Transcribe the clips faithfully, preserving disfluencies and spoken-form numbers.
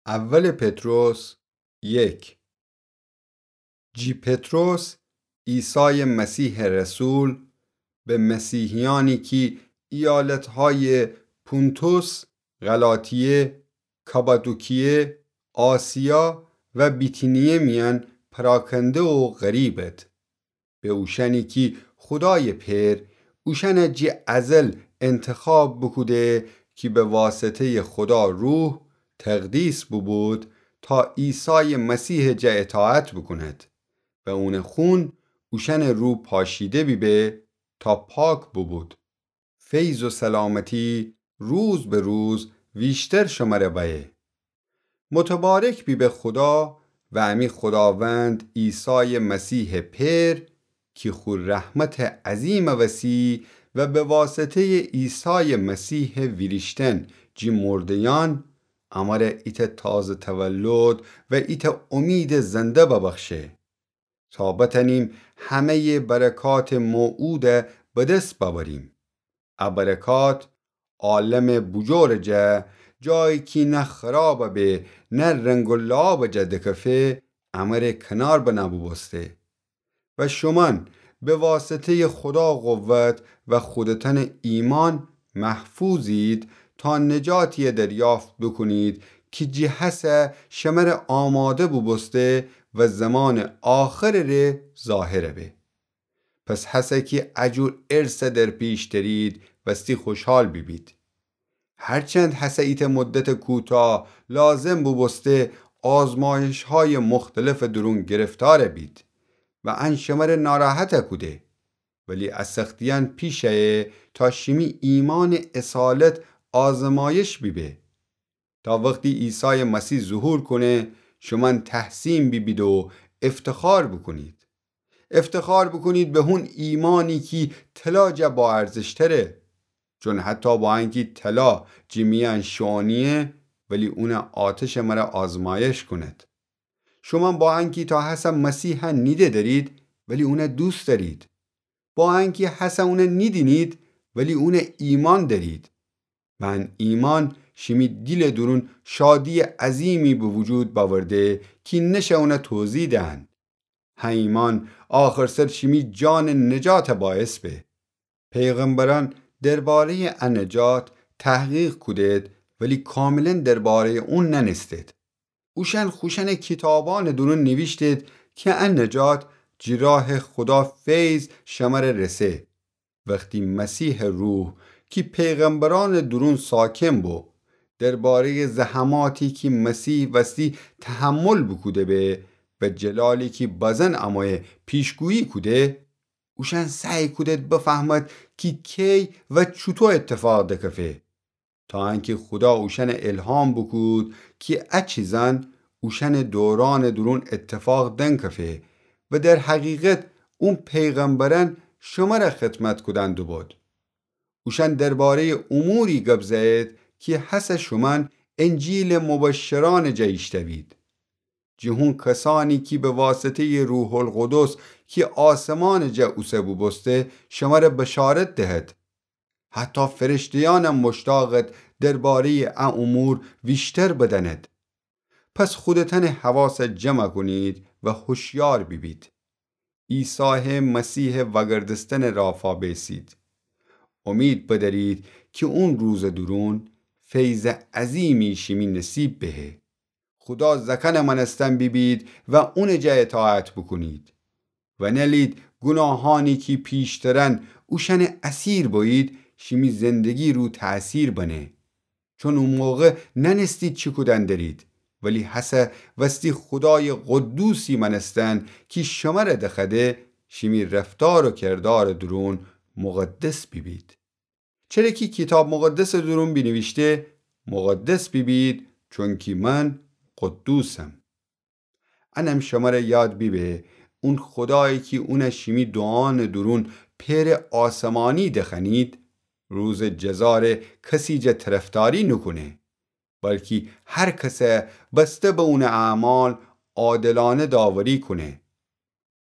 اول پطرس یک. جی پطرس، عیسای مسیحٚ رسول، به مسیحیأنی کی ایالتهای پونتوس، غلاطیه، کاپادوکیه، آسیا و بیتینیه میأن پراکنده و غریبد. به اوشأنی کی خودایٚ پئر اوشأن جی ازل انتخاب بوکوده کی به واسطه‌یٚ خودا روح تقدیس بوبود تا عیسایٚ مسیحٚ جا اطاعت بوکوند و اونٚ خون اوشأنٚ رو پاشیده بیبه تا پاک بوبود. فیض و سلامتی روز به روز ویشتر شمره بأیه. متبارک بیبه خودا و امی خوداوند عیسایٚ مسیحٚ پئر کی خو رحمتٚ عظیمٚ وسی و به واسطه‌یٚ عیسایٚ مسیحٚ ویریشتن جی مرده‌یأن امره ایتأ تازه تولد و ایتأ امیدٚ زنده ببخشه. تا بتأنیم همه‌یٚ برکاتٚ موعودَ به دس بأوریم. ا برکات عالمٚ بوجورٚ جا، جایی کی نه خراب به نه رنگ و لعابٚ جا دکفه، امره کنار بنه بوبوسته. و شومأن به واسطه‌یٚ خودا قوت و خودتأنٚ ایمأن محفوظید تا نجاتی دریافت بوکونید کی جی هسه شمره آماده بوبوسته و زمانٚ آخرٚ ره ظاهر به. پس هسه کی ا جور ارث در پیش دأرید، وستی خوشحال بیبید. هرچند هسه ایتأ مدتٚ کوتاه لازم بوبوسته آزمایش‌هایٚ مختلفٚ دورون گرفتار بید و ان شمره ناراحت کوده، ولی ا سختیأن پیش ایه تا شیمی ایمأنٚ اصالت آزمایش بیبه. تا وختی عیسایٚ مسیح ظهور کونه، شومأن تحسین بیبید و افتخار بوکونید. افتخار بوکونید به هون ایمأنی کی طلا جا باارزشتره. چون حتی با انکی طلا جی میأن شوئونیه، ولی اونٚ آتش مره آزمایش کوند. شومأن با انکی تا هسه مسیحَ نیده دأرید، ولی اونَ دوست دأرید. با انکی هسه اونَ نیدینید، ولی اونَ ایمأن دأرید. و ان ایمأن شیمی دیلٚ دورون شادییٚ عظیمی به وجود بأورده کی نشه اونَ توضیح دهن. ه ایمأن آخرسر شیمی جانٚ نجاتٚ باعث به. پیغمبرأن درباره‌یٚ ا نجات تحقیق کودید، ولی کاملاً درباره‌یٚ اون نأنستید. اوشأن خوشأنٚ کیتابأنٚ دورون نیویشتید کی ا نجات جی راه خودا فیض شمره رسه. وختی مسیحٚ روح کی پیغمبرأنٚ دورون ساکن بو، درباره‌یٚ زحماتی کی مسیح وستی تحمل بوکوده به و جلالی کی بزن امویه پیشگویی کوده، اوشأن سعی کودید بفهمد کی کی و چوطو اتفاق دکفه. تا انکی خودا اوشأنَ الهام بوکود کی ا چیزأن اوشأنٚ دورأنٚ دورون اتفاق دنکفه و در حقیقت اون پیغمبرأن شمره خدمت کودن دوبود. اوشأن درباره‌یٚ اموری گب زأیید کی هسه شومأن انجیلٚ مبشرأنٚ جا ایشتأوید. جی هون کسأنی کی به واسطه‌یٚ روح‌القدس کی آسمانٚ جا اوسه بوبوسته شمره بشارت دهد. حتی فرشته‌یأنم مشتاقد درباره‌یٚ ا امور ویشتر بدأند. پس خودتأنٚ حواسَ جمع کونید و هوشیار بیبید. عیسایٚ مسیحٚ وأگردستنٚ رافا بیسید. امید بدأرید کی اون روزٚ دورون فیضٚ عظیمی شیمی نصیب بهه. خودا زأکأنٚ مأنستن بیبید و اونٚ جا اطاعت بوکونید. و نألید گوناهأنی کی پیشترأن اوشأنٚ اسیر بویید شیمی زندگی رو تأثیر بنه. چون او موقع نأنستید چی کودن دأرید، ولی هسه وستی خودایٚ قدوسی مأنستن کی شمره دخوأده شیمی رفتار و کردارٚ دورون مقدس بیبید. چره کی کیتاب مقدسٚ دورون بینیویشته: مقدس بیبید، چونکی من قدوسم. انم شمره یاد بیبه، اون خودایی کی اونَ شیمی دوعانٚ دورون پئرٚ آسمانی دخوأنید، روزٚ جزا ره کسی جا طرفداری نوکونه، بلکی هر کسَ بسته به اونٚ اعمال عادلأنه داوری کونه.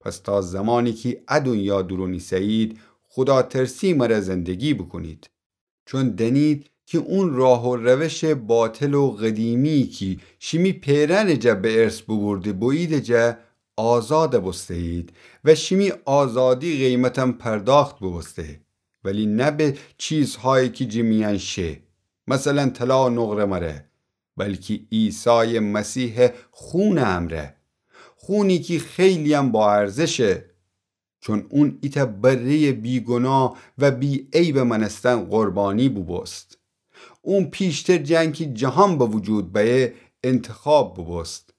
پس تا زمانی کی ا دونیا دورون ایسه‌یید، خوداترسی مره زندگی بوکونید. چون دأنید کی اون راه و روشٚ باطل و قدیمی کی شیمی پئرأنٚ جا به ارث بوبورده بوییدٚ جا آزاد بوسته‌یید و شیمی آزادی قیمتم پرداخت بوبوسته، ولی نه به چیزهایی کی جٚه میأن شه، مثلا طلا و نقره مره، بلکی عیسایٚ مسیحٚ خونٚ امرأ، خونی کی خیلی‌یم با ارزشه، چون اون ایتأ بره‌یٚ بیگناه و بی‌عیبٚ مأنستن قربانی بوبوست. اون پیشتر جٚه انکی جهان به وجود بأیه انتخاب بوبوست،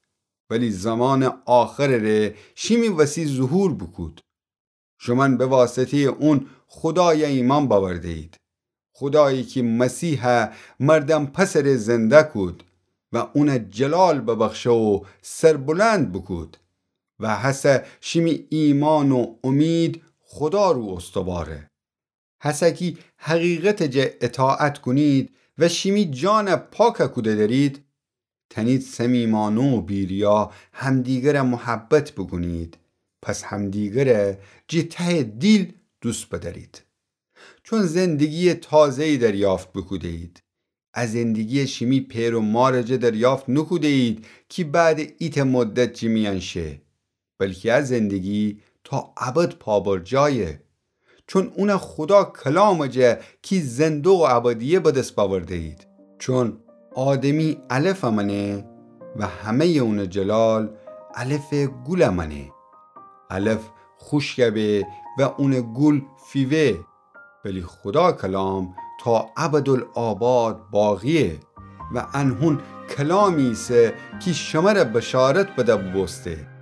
ولی زمانٚ آخرٚ ره شیمی وسی ظهور بوکود. شومأن به واسطه‌یٚ اون خودای ایمأن بأورده‌یید، خودایی کی مسیح مردم پسٚ ره زنده کود و اون جلال ببخشه و سربلند بوکود و هسه شیمی ایمأن و امید خودا رو استواره. هسه کی حقیقتٚ جا اطاعت کونید و شیمی جان پاک کوده دأرید، تأنید صمیمأنه و بی‌ریا همدیگر محبت بوکونید، پس همدیگر جٚه تهٚ دیل دوست بدأرید. چون زندگی‌یٚ تازه‌یی دریافت بوکوده‌یید. ا زندگی شیمی پئر و مارٚ جا دریافت نوکوده‌یید کی بعدٚ ایتأ مدت جٚه میأن شه، بلکی ا زندگی تا ابد پابرجایه. چون اون خودا کلامٚ جا کی زنده و ابدیه به دس بأورده‌یید. چون آدمی علف مأنه و همه‌یٚ اونٚ جلال علفٚ گول مأنه. علف خوشک به و اونٚ گول فیوه، ولی خودا کلام تا ابدالآباد باقیه. و انهون کلامی ایسه کی شمر بشارت بده بوبوسته.